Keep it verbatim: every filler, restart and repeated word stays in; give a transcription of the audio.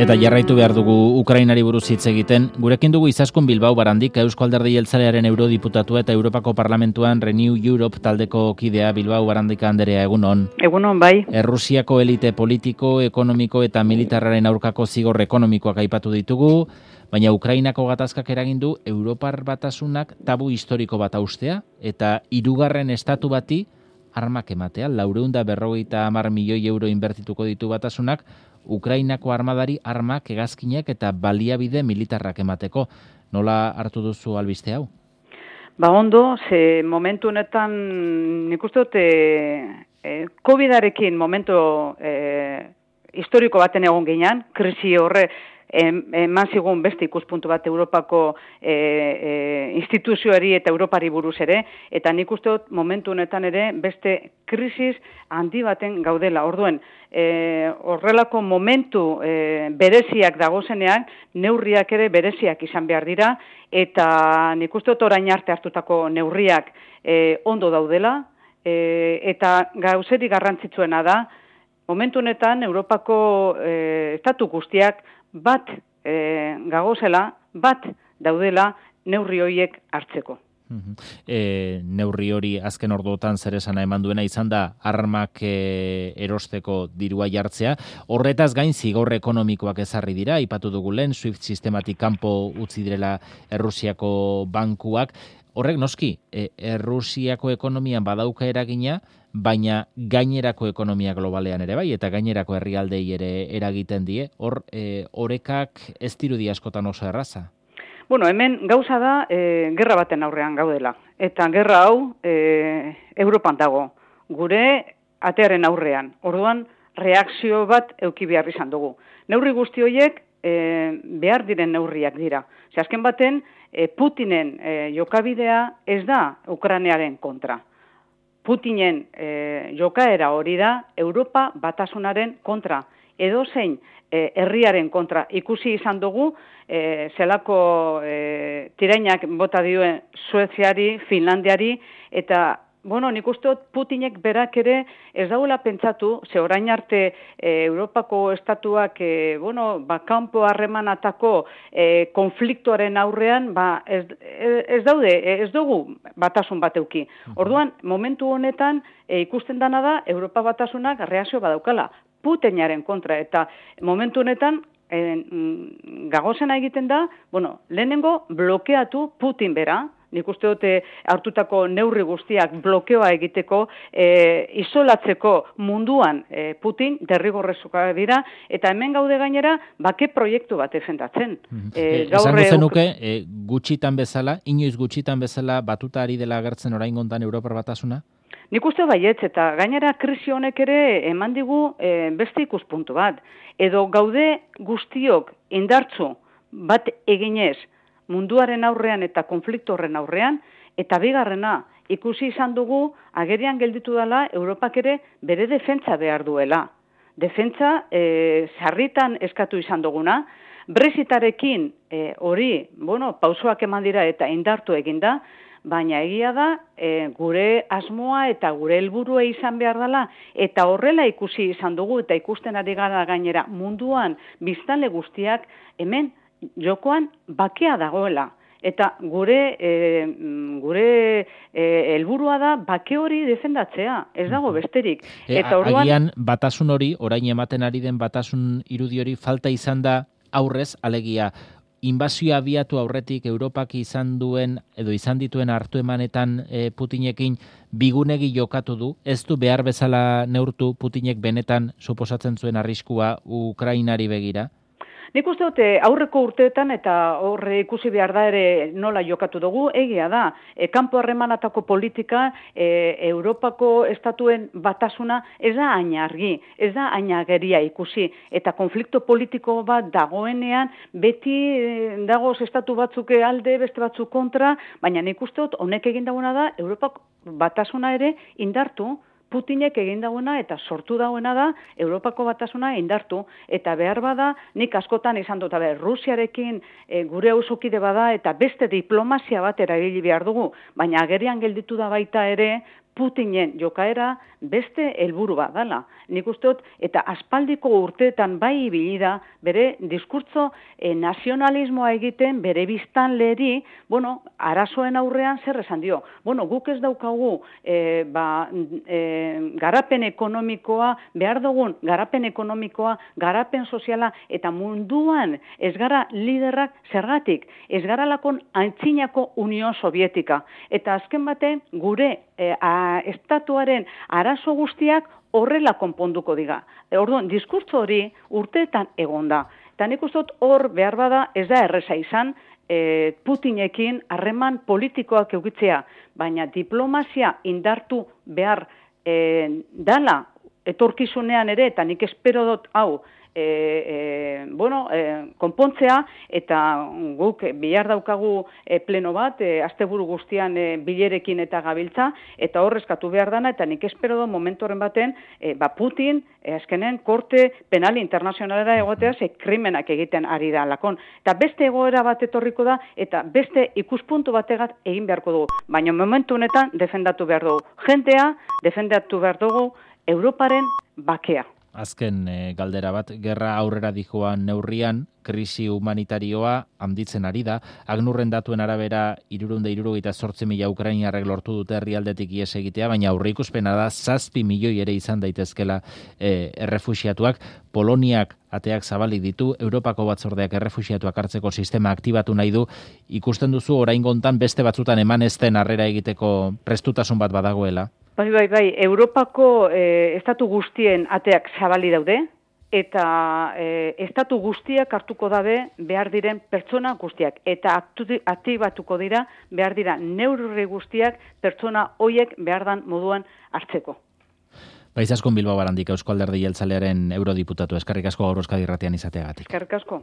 Eta jarraitu behar dugu Ukrainari buruz hitz egiten. Gurekin dugu Izaskun Bilbao Barandik, Eusko Alderdi Jeltzalearen eurodiputatua eta Europako Parlamentuan Renew Europe taldeko kidea. Bilbao Barandik anderea, egunon. Egunon, bai. Errusiako elite politiko, ekonomiko eta militarraren aurkako zigor ekonomikoak aipatu ditugu, baina Ukrainako gatazkak eragin du Europar Batasunak tabu historiko bat haustea eta hirugarren estatu bati armak ematea. Laurehun eta berrogeita hamar milioi euro inbertituko ditu Batasunak Ukrainako armadari armak, hegazkinak eta baliabide militarrak emateko. Nola hartu duzu albiste hau? Ba ondo, ze momentu honetan nik uste dut e, e, COVIDarekin momentu e, historiko baten egon ginean, krisi horre eman zigun beste ikuspuntu bat Europako e, e, instituzioari eta Europari buruz ere, eta nik uste dut momentu honetan ere beste krisis handi baten gaudela. Orduen, e, horrelako momentu e, bereziak dagozenean, neurriak ere bereziak izan behar dira, eta nik uste dut orain arte hartutako neurriak e, ondo daudela, e, eta gauzeri garrantzitsuena da, momentu honetan Europako e, estatu guztiak bat e, gagozela, bat daudela neurri horiek hartzeko. E, neurri hori azken orduotan zer esana eman duena izan da armak e, erosteko dirua jartzea. Horretaz gain zigor ekonomikoak ezarri dira, aipatu dugu lehen, SWIFT sistematik kanpo utzi direla Errusiako bankuak. Horrek noski, e, Errusiako ekonomian badauka eragina, baina gainerako ekonomia globalean ere bai, eta gainerako herrialdei ere eragiten die. Hor, e, orekak ez dirudi askotan oso erraza? Bueno, hemen gauza da, e, gerra baten aurrean gaudela. Eta gerra hau e, Europan dago, gure atearen aurrean. Orduan, reakzio bat euki behar izan dugu. Neurri guzti horiek e, behar diren neurriak dira. Ze azken baten, e, Putinen e, jokabidea ez da Ukrainaren kontra. Putinen e, jokaera hori da Europa Batasunaren kontra. Edo zein e, herriaren kontra. Ikusi izan dugu, e, zelako e, tirainak bota dioen Sueziari, Finlandiari, eta bueno, nik uste dut Putinek berak ere ez dauela pentsatu, ze orain arte e, Europako estatuak e, bueno, ba, kanpo harremanatako e, konfliktoaren aurrean ba, ez, ez daude, ez dugu batasun bat euki. Orduan, momentu honetan e, ikusten dana da Europa Batasunak reakzio badaukala Putinaren kontra, eta momentu honetan e, gagozena egiten da, bueno, lehenengo blokeatu Putin bera. Nik uste dute hartutako neurri guztiak blokeoa egiteko, e, isolatzeko munduan e, Putin derrigorrezkoa dira, eta hemen gaude gainera bake proiektu bat defendatzen. E, Esango zenuke, e, gutxitan bezala, inoiz gutxitan bezala batuta ari dela agertzen orain gontan Europar Batasuna? Nik uste baietz, eta gainera krisi honek ere eman digu e, beste ikuspuntu bat. Edo gaude guztiok indartzu bat eginez, munduaren aurrean eta konflikto horren aurrean, eta bigarrena, ikusi izan dugu, agerian gelditu dela, Europak ere bere defentsa behar duela. Defentsa, e, sarritan eskatu izan duguna, Brexitarekin e, hori, bueno, pausoak eman dira eta indartu eginda, baina egia da, e, gure asmoa eta gure helburua izan behar dela, eta horrela ikusi izan dugu, eta ikusten ari gara gainera munduan biztanle guztiak, hemen, jokoan bakea dagoela. Eta gure e, gure helburua da bake hori defendatzea, ez dago besterik. E, Eta orduan, agian batasun hori, orain ematen ari den batasun irudi hori falta izan da aurrez, alegia, inbazioa abiatu aurretik Europak izan duen, edo izan dituen hartu emanetan e, Putinekin bigunegi jokatu du, ez du behar bezala neurtu Putinek benetan suposatzen zuen arriskua Ukrainari begira? Nik uste dute aurreko urteetan eta horre ikusi behar da ere nola jokatu dugu, egia da, e, kanpo harremanatako politika, e, Europako estatuen batasuna ez da hain argi, ez da hain ageria ikusi, eta konflikto politiko bat dagoenean, beti e, dagoz estatu batzuk alde, beste batzuk kontra, baina nik uste dut honek egin dagoena da, Europako batasuna ere indartu, Putinek egin dagoena eta sortu dagoena da Europako Batasuna indartu, eta behar bada nik askotan izan dut, Rusiarekin e, gure auzokide bada eta beste diplomazia bat erabili behar dugu, baina agerian gelditu da baita ere Putinen jokaera beste helburu bat dela. Nik uste dut, eta aspaldiko urteetan bai ibili da bere diskurtzo e, nazionalismoa egiten, bere biztanleri, bueno, arazoen aurrean zer esan dio. Bueno, guk ez daukagu e, ba, e, garapen ekonomikoa, behar dugun garapen ekonomikoa, garapen soziala, eta munduan ez gara liderrak zergatik, ez gara lakon antzinako Union Sovietika. Eta azken baten, gure e, a, estatuaren arazo guztiak horrela konponduko diga. E, orduan, diskurtso hori urteetan egon da. Eta nik uste dut hor behar bada ez da erreza izan e, Putinekin harreman politikoak eukitzea, baina diplomazia indartu behar e, dala etorkizunean ere, eta nik espero dut hau, E, e, bueno, e, konpontzea, eta guk bihar daukagu e, pleno bat, e, asteburu guztian e, bilerekin eta gabiltza, eta horrezkatu behar dana, eta nik espero do momentu horren baten, e, ba Putin, e, azkenen, korte penal internazionalera egotea, ze krimenak egiten ari da lakon. Eta beste egoera bat etorriko da, eta beste ikuspuntu bategat egin beharko dugu. Baina momentu honetan defendatu behar dugu. Jentea defendatu behar dugu Europaren bakea. Azken e, galdera bat, gerra aurrera dijoan neurrian, krisi humanitarioa handitzen ari da. Agnurren datuen arabera, hirurehun eta hirurogeita zortzi mila ukrainarrek lortu dute herrialdetik ihes egitea, baina aurreikuspena da zazpi milioi ere izan daitezkela e, errefuxiatuak. Poloniak ateak zabalik ditu, Europako batzordeak errefuxiatuak hartzeko sistema aktibatu nahi du. Ikusten duzu oraingontan beste batzutan eman ez den harrera egiteko prestutasun bat badagoela? Bai, bai, bai, Europako eh, estatu guztien ateak zabali daude, eta eh, estatu guztiak hartuko dabe behar diren pertsona guztiak, eta aktibatuko dira behar dira neurri guztiak pertsona hoiek behar dan moduan hartzeko. Baizaskun Bilbao Barandik, Eusko Alderdi Jeltzalearen eurodiputatu, eskerrik asko gaur Euskadi Irratian izateagatik. Eskerrik asko.